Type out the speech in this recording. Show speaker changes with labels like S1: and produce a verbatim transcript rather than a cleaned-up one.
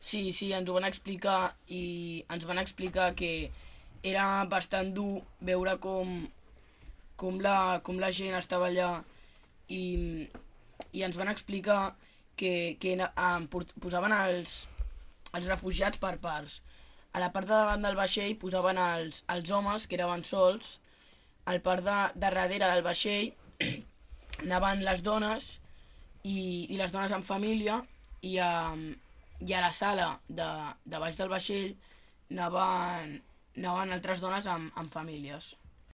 S1: Sí, sí, ens ho van explicar i ens van explicar que era bastant dur veure com, com, la, com la gent estava allà i, i ens van explicar que, que em posaven els, els refugiats per parts. A la part de davant del vaixell posaven els, els homes, que eren sols, al part de, de darrere del vaixell anaven les dones i, i les dones en família i a, i a la sala de, de baix del vaixell anaven, anaven altres dones amb, amb famílies.